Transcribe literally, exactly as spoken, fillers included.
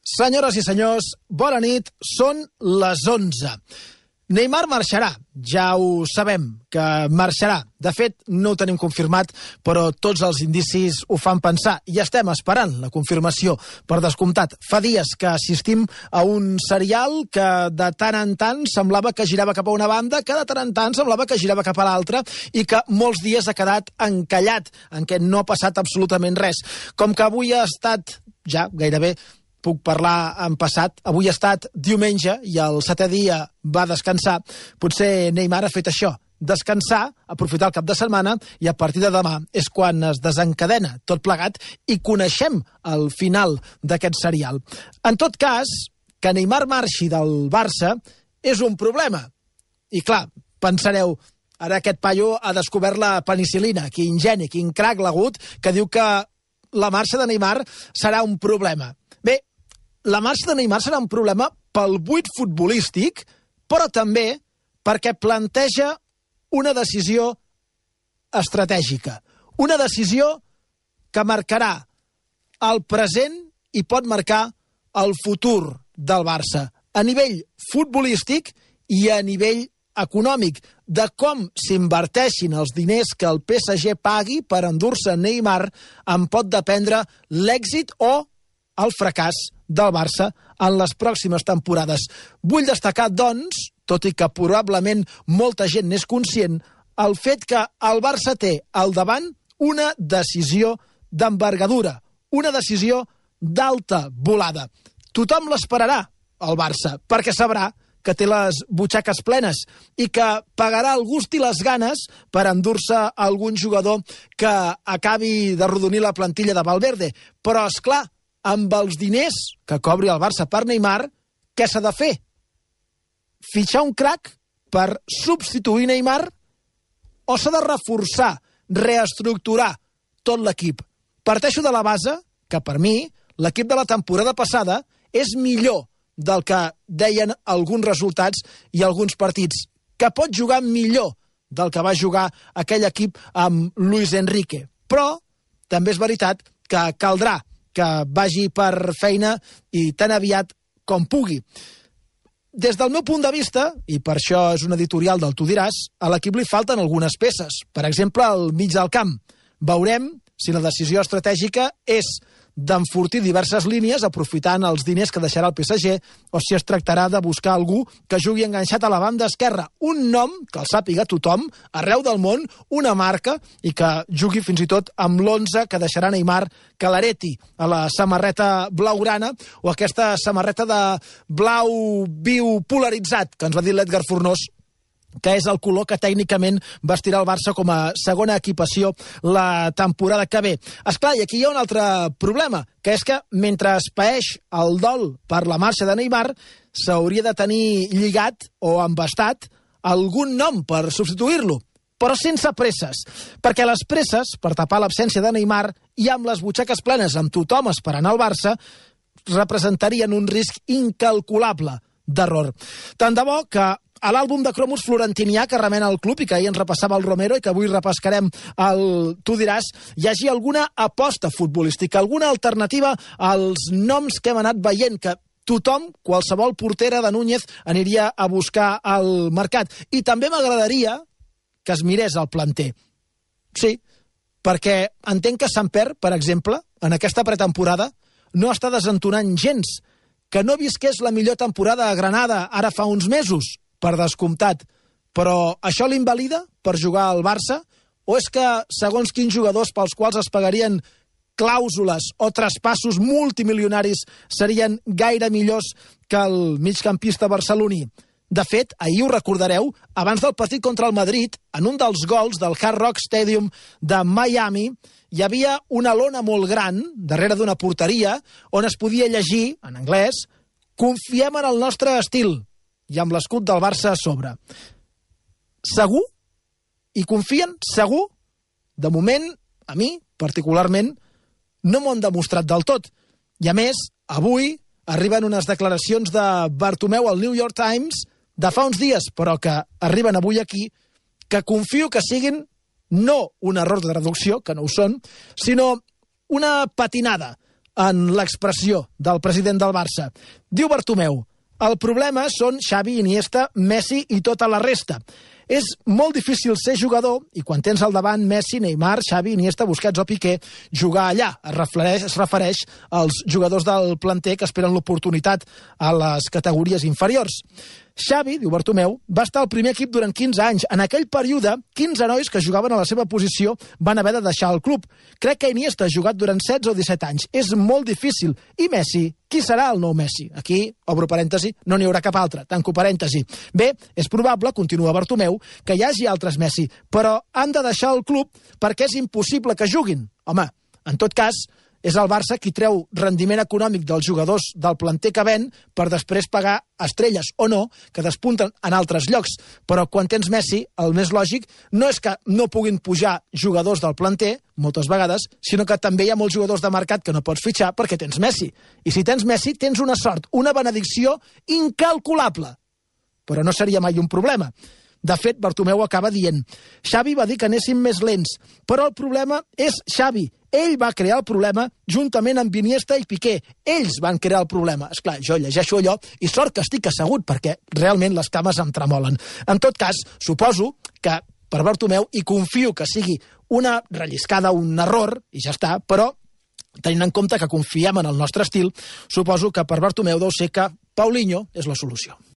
Senyores i senyors, bona nit, són les onze. Neymar marxarà, ja ho sabem, que marxarà. De fet, no ho tenim confirmat, però tots els indicis ho fan pensar. I estem esperant la confirmació, per descomptat. Fa dies que assistim a un serial que de tant en tant semblava que girava cap a una banda, que de tant en tant semblava que girava cap a l'altra, i que molts dies ha quedat encallat, en què no ha passat absolutament res. Com que avui ha estat, ja gairebé, puc parlar en passat, avui ha estat diumenge i el setè dia va descansar, potser Neymar ha fet això, descansar, aprofitar el cap de setmana i a partir de demà és quan es desencadena tot plegat i coneixem el final d'aquest serial. En tot cas, que Neymar marxi del Barça és un problema. I clar, pensareu, ara aquest paio ha descobert la penicil·lina, quin geni, quin crac l'agut, que diu que la marxa de Neymar serà un problema. Bé, la marxa de Neymar serà un problema pel buit futbolístic, però també perquè planteja una decisió estratègica. Una decisió que marcarà el present i pot marcar el futur del Barça, a nivell futbolístic i a nivell econòmic, de com s'inverteixin els diners que el P S G pagui per endur-se Neymar en pot dependre l'èxit o el fracàs del Barça en les pròximes temporades. Vull destacar, doncs, tot i que probablement molta gent n'és conscient, el fet que el Barça té al davant una decisió d'envergadura, una decisió d'alta volada. Tothom l'esperarà, el Barça, perquè sabrà que té les butxaques plenes i que pagarà el gust i les ganes per endur-se algun jugador que acabi d'arrodonir la plantilla de Valverde. Però, és clar, amb els diners que cobri el Barça per Neymar, què s'ha de fer? Fitxar un crac per substituir Neymar o s'ha de reforçar, reestructurar tot l'equip? Parteixo de la base que, per mi, l'equip de la temporada passada és millor del que deien alguns resultats i alguns partits, que pot jugar millor del que va jugar aquell equip amb Luis Enrique. Però també és veritat que caldrà que vagi per feina i tan aviat com pugui. Des del meu punt de vista, i per això és un editorial del Tu diràs, a l'equip li falten algunes peces. Per exemple, al mig del camp. Veurem si la decisió estratègica és d'enfortir diverses línies aprofitant els diners que deixarà el P S G o si es tractarà de buscar algú que jugui enganxat a la banda esquerra. Un nom que el sàpiga tothom, arreu del món, una marca i que jugui fins i tot amb l'onze que deixarà Neymar, que l'hereti a la samarreta blaugrana o aquesta samarreta de blau viu polaritzat que ens va dir l'Edgar Fornós, que és el color que tècnicament vestirà el Barça com a segona equipació la temporada que ve. Esclar, i aquí hi ha un altre problema, que és que mentre es paeix el dol per la marxa de Neymar, s'hauria de tenir lligat o embastat algun nom per substituir-lo, però sense presses, perquè les presses, per tapar l'absència de Neymar i amb les butxaques plenes amb tothom esperant al Barça, representarien un risc incalculable d'error. Tant de bo que a l'àlbum de cromos florentinià que remena el club i que ahir ens repassava el Romero i que avui repescarem el Tu diràs, hi hagi alguna aposta futbolística, alguna alternativa als noms que hem anat veient, que tothom, qualsevol portera de Núñez, aniria a buscar al mercat. I també m'agradaria que es mirés el planter. Sí, perquè entenc que Samper, per exemple, en aquesta pretemporada, no està desentonant gens, que no visqués la millor temporada a Granada ara fa uns mesos, per descomptat, però això l'invalida per jugar al Barça? O és que, segons quins jugadors pels quals es pagarien clàusules o traspassos multimilionaris serien gaire millors que el migcampista barceloní? De fet, ahir ho recordareu, abans del partit contra el Madrid, en un dels gols del Hard Rock Stadium de Miami, hi havia una lona molt gran, darrere d'una porteria, on es podia llegir, en anglès, "Confiem en el nostre estil", i amb l'escut del Barça a sobre. Segur? I confien? Segur? De moment, a mi, particularment, no m'ho han demostrat del tot. I a més, avui arriben unes declaracions de Bartomeu al New York Times de fa uns dies, però que arriben avui aquí, que confio que siguin no un error de traducció, que no ho són, sinó una patinada en l'expressió del president del Barça. Diu Bartomeu: el problema són Xavi, Iniesta, Messi i tota la resta. És molt difícil ser jugador i quan tens al davant Messi, Neymar, Xavi, Iniesta, Busquets o Piqué, jugar allà. Es refereix, es refereix als jugadors del planter que esperen l'oportunitat a les categories inferiors. Xavi, diu Bartomeu, va estar al primer equip durant quinze anys. En aquell període, quinze nois que jugaven a la seva posició van haver de deixar el club. Crec que Iniesta ha jugat durant setze o disset anys. És molt difícil. I Messi? Qui serà el nou Messi? Aquí, obro parèntesi, no n'hi haurà cap altre. Tanco parèntesi. Bé, és probable, continua Bartomeu, que hi hagi altres Messi, però han de deixar el club perquè és impossible que juguin. Home, en tot cas, és el Barça qui treu rendiment econòmic dels jugadors del planter que ven per després pagar estrelles o no, que despunten en altres llocs. Però quan tens Messi, el més lògic no és que no puguin pujar jugadors del planter, moltes vegades, sinó que també hi ha molts jugadors de mercat que no pots fitxar perquè tens Messi. I si tens Messi, tens una sort, una benedicció incalculable. Però no seria mai un problema. De fet, Bartomeu acaba dient: Xavi va dir que anéssim més lents, però el problema és Xavi. Ell va crear el problema juntament amb Iniesta i Piqué. Ells van crear el problema. Esclar, jo llegeixo allò i sort que estic assegut perquè realment les cames em tremolen. En tot cas, suposo que per Bartomeu, i confio que sigui una relliscada, un error, i ja està, però tenint en compte que confiem en el nostre estil, suposo que per Bartomeu deu ser que Paulinho és la solució.